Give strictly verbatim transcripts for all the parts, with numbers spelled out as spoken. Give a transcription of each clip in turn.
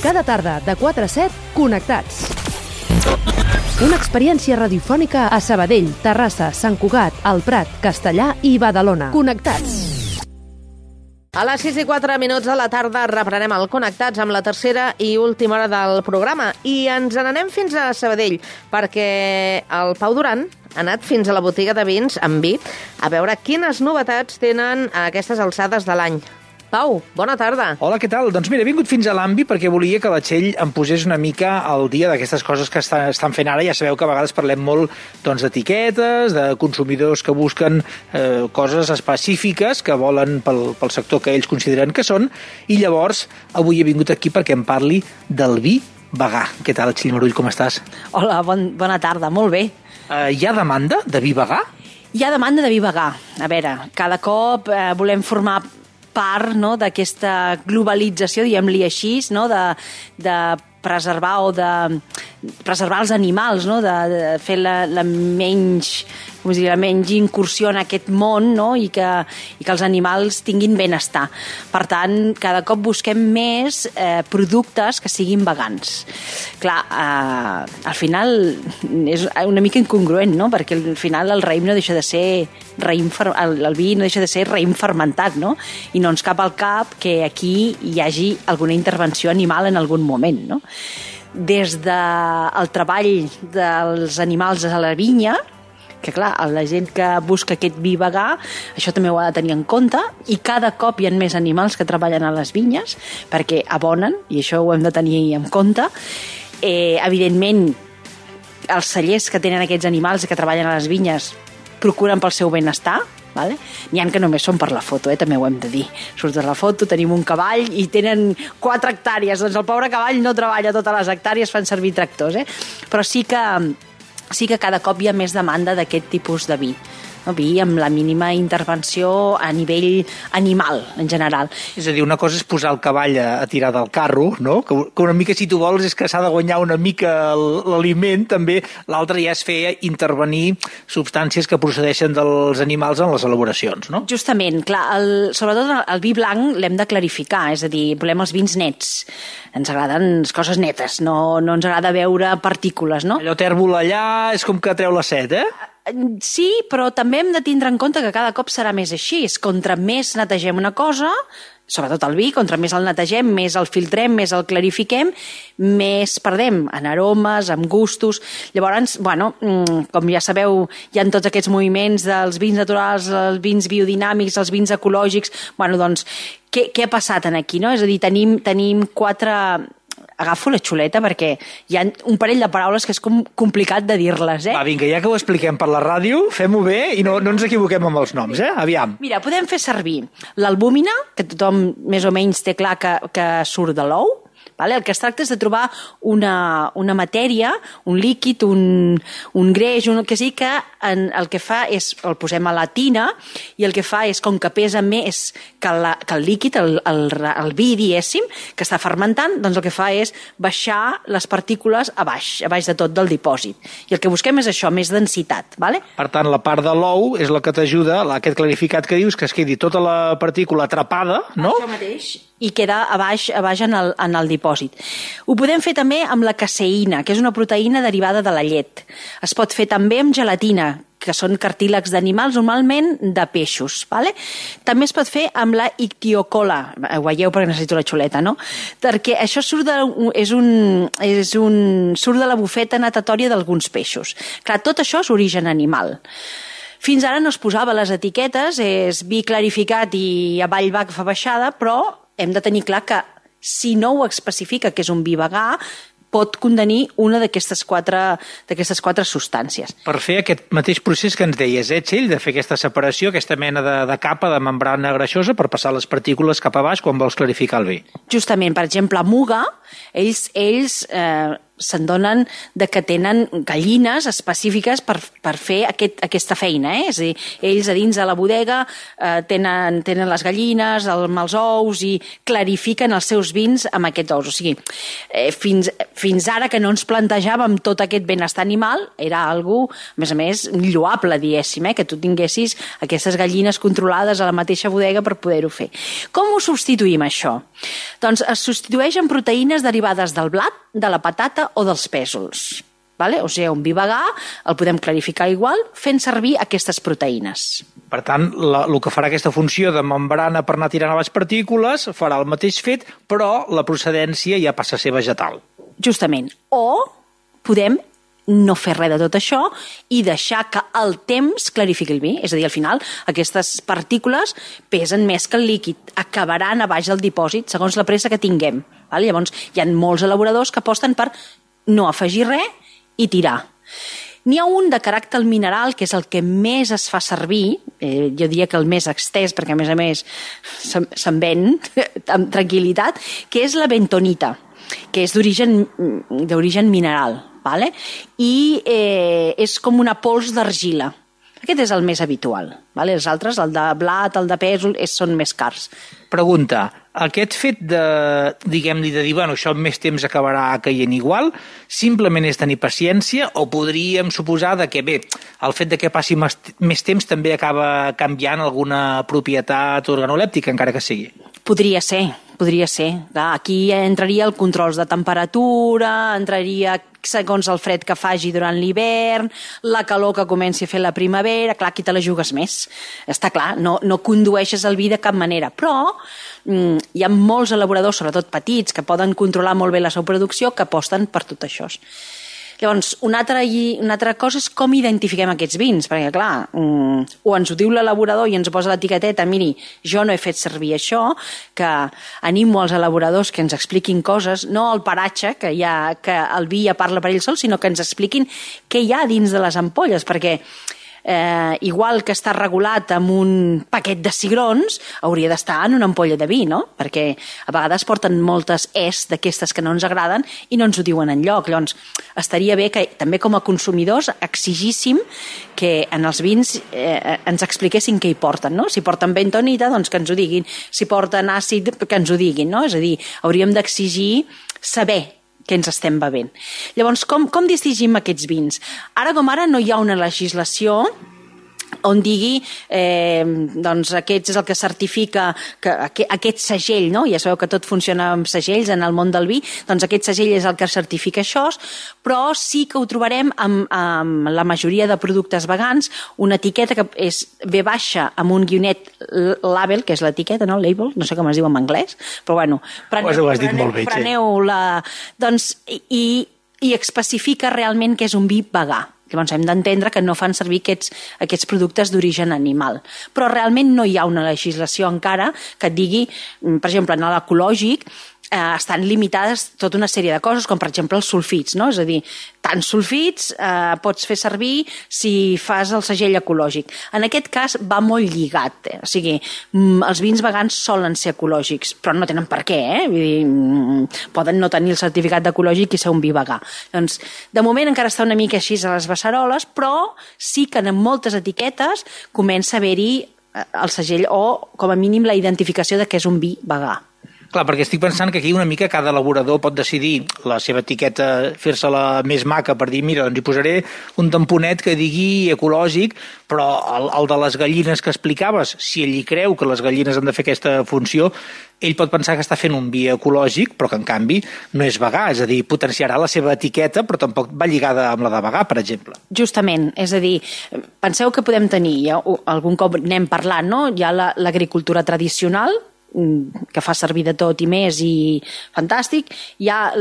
Cada tarda, de quatre a set, Connectats. Una experiència radiofònica a Sabadell, Terrassa, Sant Cugat, El Prat, Castellà i Badalona. Connectats. A les sis i quatre minuts de la tarda reprenem el Connectats amb la tercera i última hora del programa i ens n'anem fins a Sabadell perquè el Pau Duran ha anat fins a la botiga de vins amb vi a veure quines novetats tenen a aquestes alçades de l'any. Pau, bona tarda. Hola, què tal? Doncs mira, he vingut fins a l'Ambi perquè volia que la Txell em posés una mica al dia d'aquestes coses que està, estan fent ara. Ja sabeu que a vegades parlem molt doncs, d'etiquetes, de consumidors que busquen eh, coses específiques que volen pel, pel sector que ells consideren que són, i llavors avui he vingut aquí perquè em parli del vi vegà. Què tal, Txell Marull, com estàs? Hola, bon, bona tarda, molt bé. Eh, hi ha demanda de vi vegà? Hi ha demanda de vi vegà. A veure, cada cop eh, volem formar part, no, d'aquesta globalització, diguem-li així, no, de, de preservar o de preservar els animals, no, de, de fer la, la menys, com dir, la menys incursió en aquest món, no, i que, i que els animals tinguin benestar. Per tant, cada cop busquem més eh, productes que siguin vegans. Clar, eh, al final és una mica incongruent, no?, perquè al final el raïm no deixa de ser raïm, el, el vi no deixa de ser raïm fermentat, no?, i no ens cap al cap que aquí hi hagi alguna intervenció animal en algun moment, no? Des del treball dels animals a la vinya, que clar, la gent que busca aquest vi vegà, això també ho ha de tenir en compte, i cada cop hi ha més animals que treballen a les vinyes, perquè abonen, i això ho hem de tenir en compte. Eh, evidentment, els cellers que tenen aquests animals que treballen a les vinyes procuren pel seu benestar, vale? N'hi ha que només són per la foto, eh? També ho hem de dir. Surts de la foto, tenim un cavall i tenen quatre hectàrees, doncs el pobre cavall no treballa totes les hectàrees, fan servir tractors, eh? Però sí que, sí que cada cop hi ha més demanda d'aquest tipus de vi. No, vi amb la mínima intervenció a nivell animal, en general. És a dir, una cosa és posar el cavall a, a tirar del carro, no? Que, que una mica, si tu vols, és que s'ha de guanyar una mica l'aliment, també. L'altre ja és fer intervenir substàncies que procedeixen dels animals en les elaboracions, no? Justament, clar, el, sobretot el, el vi blanc l'hem de clarificar, és a dir, volem els vins nets. Ens agraden les coses netes, no, no ens agrada veure partícules, no? Allò tèrbol allà és com que treu la set, eh? Sí, però també hem de tindre en compte que cada cop serà més així. Contra més netegem una cosa, sobretot el vi, contra més el netegem, més el filtrem, més el clarifiquem, més perdem en aromes, en gustos. Llavors, bueno, com ja sabeu, hi ha tots aquests moviments dels vins naturals, els vins biodinàmics, els vins ecològics. Bueno, doncs, què, què ha passat aquí, no? És a dir, tenim, tenim quatre... Agafo la xuleta perquè hi ha un parell de paraules que és com complicat de dir-les, eh? Va, vinga, ja que ho expliquem per la ràdio, fem-ho bé i no, no ens equivoquem amb els noms, eh? Aviam. Mira, podem fer servir l'albúmina, que tothom més o menys té clar que, que surt de l'ou. Vale? El que es tracta és de trobar una, una matèria, un líquid, un, un greix, un, que sí que en, el que fa és, el posem a la tina i el que fa és, com que pesa més que, la, que el líquid, el, el, el vi, diguéssim, que està fermentant, doncs el que fa és baixar les partícules a baix, a baix de tot del dipòsit. I el que busquem és això, més densitat. Vale? Per tant, la part de l'ou és la que t'ajuda, aquest clarificat que dius, que es quedi tota la partícula atrapada, no? Això mateix. I queda a baix, a baix en, el, en el dipòsit. Ho podem fer també amb la caseïna, que és una proteïna derivada de la llet. Es pot fer també amb gelatina, que són cartílags d'animals, normalment de peixos. Vale? També es pot fer amb la ictiocola. Ho veieu perquè necessito la xuleta, no? Perquè això surt de, és un, és un, surt de la bufeta natatòria d'alguns peixos. Clar, tot això és origen animal. Fins ara no es posava les etiquetes, és vi clarificat i avall va que fa baixada, però hem de tenir clar que si no ho especifica que és un vi vegà, pot contenir una d'aquestes quatre, d'aquestes quatre substàncies. Per fer aquest mateix procés que ens deies, eh, Txell, de fer aquesta separació, aquesta mena de, de capa de membrana greixosa per passar les partícules cap a baix quan vols clarificar el vi. Justament, per exemple, a Muga, ells, ells eh, se'n donen de que tenen gallines específiques per, per fer aquest, aquesta feina, eh? És a dir, ells a dins de la bodega eh, tenen, tenen les gallines, el, amb els ous i clarifiquen els seus vins amb aquests ous. O sigui, eh, fins, fins ara que no ens plantejàvem tot aquest benestar animal, era algo, a més a més, lloable, diguéssim, eh? Que tu tinguessis aquestes gallines controlades a la mateixa bodega per poder-ho fer. Com ho substituïm, això? Doncs es substitueix en proteïnes derivades del blat, de la patata o dels pèsols. Vale? O sigui, un vi vegà el podem clarificar igual fent servir aquestes proteïnes. Per tant, la, el que farà aquesta funció de membrana per anar tirant a les partícules farà el mateix fet, però la procedència ja passa a ser vegetal. Justament. O podem no fer res de tot això i deixar que el temps clarifiqui el vi. És a dir, al final, aquestes partícules pesen més que el líquid, acabaran a baix del dipòsit, segons la pressa que tinguem. Vale? Llavors, hi ha molts elaboradors que aposten per no afegir res i tirar. N'hi ha un de caràcter mineral, que és el que més es fa servir, eh, jo diria que el més extès, perquè a més a més se'n se ven amb tranquil·litat, que és la bentonita, que és d'origen d'origen mineral. Vale? I eh, és com una pols d'argila. Aquest és el més habitual. Vale? Els altres, el de blat, el de pèsol, és, són més cars. Pregunta, aquest fet de, diguem-li, de dir, bueno, això en més temps acabarà caient igual, simplement és tenir paciència o podríem suposar de que, bé, el fet de que passi més, més temps també acaba canviant alguna propietat organolèptica, encara que sigui? Podria ser, podria ser. Clar, aquí entraria el controls de temperatura, entraria segons el fred que faci durant l'hivern, la calor que comenci a fer la primavera, clar, aquí te la jugues més. Està clar, no, no condueixes el vi de cap manera, però mm, hi ha molts elaboradors, sobretot petits, que poden controlar molt bé la seva producció, que aposten per tot això. Llavors, una altra, una altra cosa és com identifiquem aquests vins, perquè clar, um, o ens ho diu l'elaborador i ens posa l'etiqueteta, miri, jo no he fet servir això, que animo als elaboradors que ens expliquin coses, no el paratge, que, ha, que el vi ja parla per ell sol, sinó que ens expliquin què hi ha dins de les ampolles, perquè Eh, igual que està regulat amb un paquet de cigrons, hauria d'estar en una ampolla de vi, no? Perquè a vegades porten moltes es d'aquestes que no ens agraden i no ens ho diuen enlloc. Llavors, estaria bé que també com a consumidors exigíssim que en els vins eh, ens expliquessin què hi porten, no? Si porten bentonita, doncs que ens ho diguin. Si porten àcid, que ens ho diguin, no? És a dir, hauríem d'exigir saber que ens estem bevent. Llavors, com, com distingim aquests vins? Ara com ara no hi ha una legislació on digui eh, doncs aquest és el que certifica que aquest segell, no? Ja sabeu que tot funciona amb segells en el món del vi, doncs aquest segell és el que certifica això, però sí que ho trobarem amb, amb la majoria de productes vegans, una etiqueta que és ve baixa amb un guionet label, que és l'etiqueta, no? Label, no sé com es diu en anglès, però bueno, preneu, ho has dit molt bé, preneu-la, doncs, i, i especifica realment que és un vi vegà. Llavors hem d'entendre que no fan servir aquests, aquests productes d'origen animal. Però realment no hi ha una legislació encara que et digui, per exemple, en l'ecològic, eh, estan limitades tota una sèrie de coses, com per exemple els sulfits, no? És a dir, tants sulfits eh, pots fer servir si fas el segell ecològic. En aquest cas va molt lligat, eh? O sigui, els vins vegans solen ser ecològics, però no tenen per què, eh? Vull dir, poden no tenir el certificat d'ecològic i ser un vi vegà. Doncs, de moment encara està una mica així a les beceroles, però sí que en moltes etiquetes comença a haver-hi el segell o, com a mínim, la identificació de que és un vi vegà. Clar, perquè estic pensant que aquí una mica cada elaborador pot decidir la seva etiqueta, fer-se-la més maca per dir, mira, doncs hi posaré un tamponet que digui ecològic, però el, el de les gallines que explicaves, si ell hi creu que les gallines han de fer aquesta funció, ell pot pensar que està fent un vi ecològic, però que en canvi no és vegà, és a dir, potenciarà la seva etiqueta, però tampoc va lligada amb la de vegà, per exemple. Justament, és a dir, penseu que podem tenir, ja, algun cop n'hem parlat, no? Hi ha la, l'agricultura tradicional, que fa servir de tot i més i fantàstic, hi ha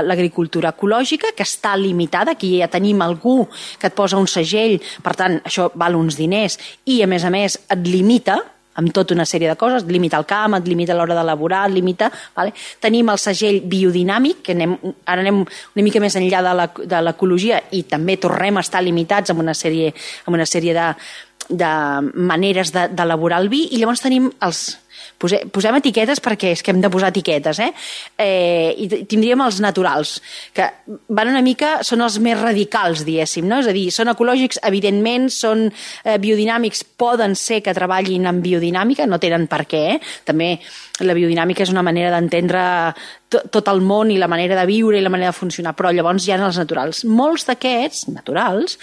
l'agricultura ecològica que està limitada, aquí ja tenim algú que et posa un segell, per tant això val uns diners i a més a més et limita amb tota una sèrie de coses, et limita el camp, et limita l'hora d'elaborar, et limita... Vale? Tenim el segell biodinàmic, que anem, ara anem una mica més enllà de l'ecologia i també tornem a estar limitats amb una sèrie, amb una sèrie de, de maneres d'elaborar el vi, i llavors tenim els Pose, posem etiquetes perquè és que hem de posar etiquetes, eh? eh I tindríem els naturals, que van una mica, són els més radicals, diguéssim, no? És a dir, són ecològics, evidentment, són eh, biodinàmics, poden ser que treballin en biodinàmica, no tenen per què, eh? També la biodinàmica és una manera d'entendre tot el món i la manera de viure i la manera de funcionar, però llavors hi ha els naturals. Molts d'aquests, naturals,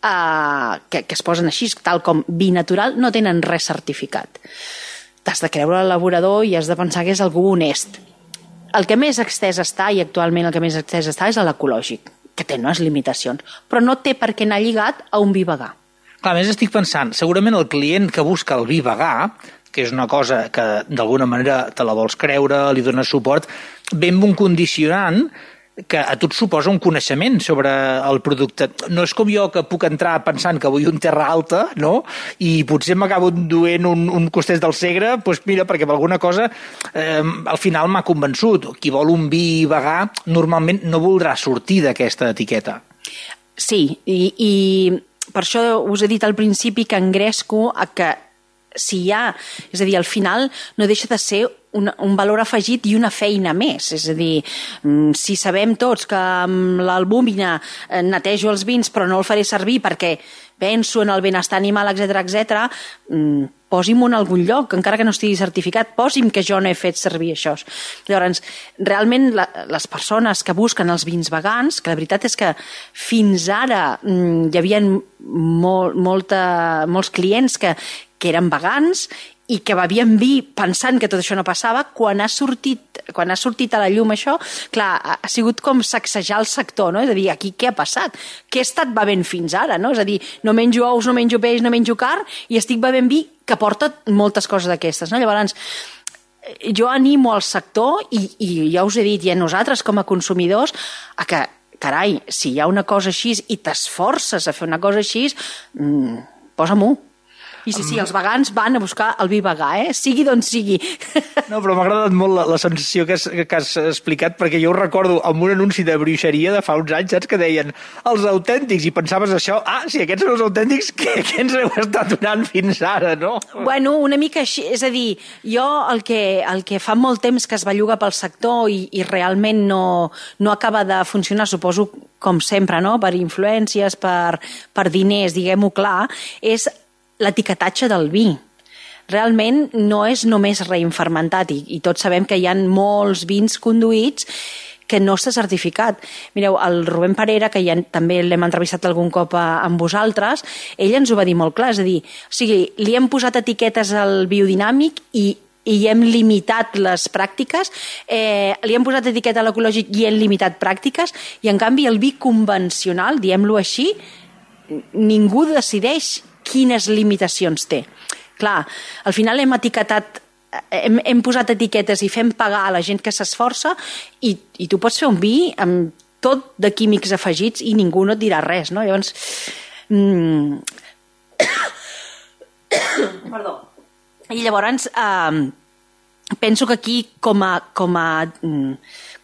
eh, que, que es posen així, tal com binatural, no tenen res certificat. T'has de creure l'elaborador i has de pensar que és algú honest. El que més extès està, i actualment el que més extès està, és l'ecològic, que té unes limitacions, però no té per què anar lligat a un vi vegà. Clar, a més estic pensant, segurament el client que busca el vi vegà, que és una cosa que d'alguna manera te la vols creure, li dones suport, ve amb un condicionant que a tu et suposa un coneixement sobre el producte. No és com jo que puc entrar pensant que vull un terra alta, no? I potser m'acabo duent un, un costès del Segre, doncs mira, perquè per alguna cosa eh, al final m'ha convençut. Qui vol un vi vegà normalment no voldrà sortir d'aquesta etiqueta. Sí, i, i per això us he dit al principi que engresco a que si hi ha, és a dir, al final no deixa de ser un, un valor afegit i una feina més. És a dir, si sabem tots que amb l'albúmina netejo els vins però no el faré servir perquè penso en el benestar animal, etcètera, etcètera, posi'm-ho en algun lloc, encara que no estigui certificat, posi'm que jo no he fet servir això. Llavors, realment, la, les persones que busquen els vins vegans, que la veritat és que fins ara mm, hi havia molt, molta, molts clients que, que eren vegans i que bevien vi pensant que tot això no passava, quan ha sortit, quan ha sortit a la llum això, clar, ha sigut com sacsejar el sector, no? És a dir, aquí què ha passat? Què he estat bevent fins ara, no? És a dir, no menjo ous, no menjo peix, no menjo carn i estic bevent vi que porta moltes coses d'aquestes, no? Llavors, jo animo al sector i, i ja us he dit, i a nosaltres com a consumidors, a que, carai, si hi ha una cosa així i t'esforces a fer una cosa així, mmm, posa-m'ho. I sí, sí, els vegans van a buscar el vi vegà, eh? Sigui d'on sigui. No, però m'ha agradat molt la, la sensació que has, que has explicat, perquè jo ho recordo amb un anunci de bruixeria de fa uns anys, saps, que deien els autèntics, i pensaves això, ah, si aquests són els autèntics, què, què ens heu estat donant fins ara, no? Bueno, una mica així, és a dir, jo el que, el que fa molt temps que es belluga pel sector i, i realment no, no acaba de funcionar, suposo, com sempre, no?, per influències, per, per diners, diguem-ho clar, és l'etiquetatge del vi. Realment no és només raïm fermentat i, i tots sabem que hi ha molts vins conduïts que no està certificat. Mireu, el Rubén Parera, que ja també l'hem entrevistat algun cop a, amb vosaltres, ell ens ho va dir molt clar, és a dir, o sigui, li hem posat etiquetes al biodinàmic i i hem limitat les pràctiques, eh, li hem posat etiqueta a l'ecològic i hem limitat pràctiques, i en canvi el vi convencional, diem-lo així, ningú decideix quines limitacions té. Clar, al final hem etiquetat, hem, hem posat etiquetes i fem pagar a la gent que s'esforça i, i tu pots fer un vi amb tot de químics afegits i ningú no et dirà res, no? Llavors, mm... perdó. I llavors, eh, penso que aquí, com a, com a,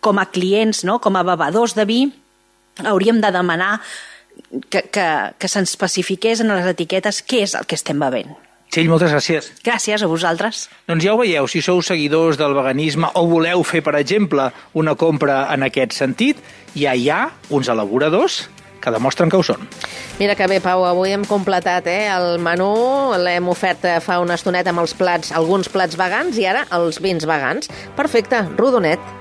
com a clients, no? Com a bevedors de vi, hauríem de demanar que, que, que se'ns especifiqués en les etiquetes què és el que estem bevent. Txell, moltes gràcies. Gràcies a vosaltres. Doncs ja ho veieu, si sou seguidors del veganisme o voleu fer, per exemple, una compra en aquest sentit, ja hi ha uns elaboradors que demostren que ho són. Mira que bé, Pau, avui hem completat eh, el menú, l'hem ofert fa una estoneta amb els plats, alguns plats vegans i ara els vins vegans. Perfecte, rodonet.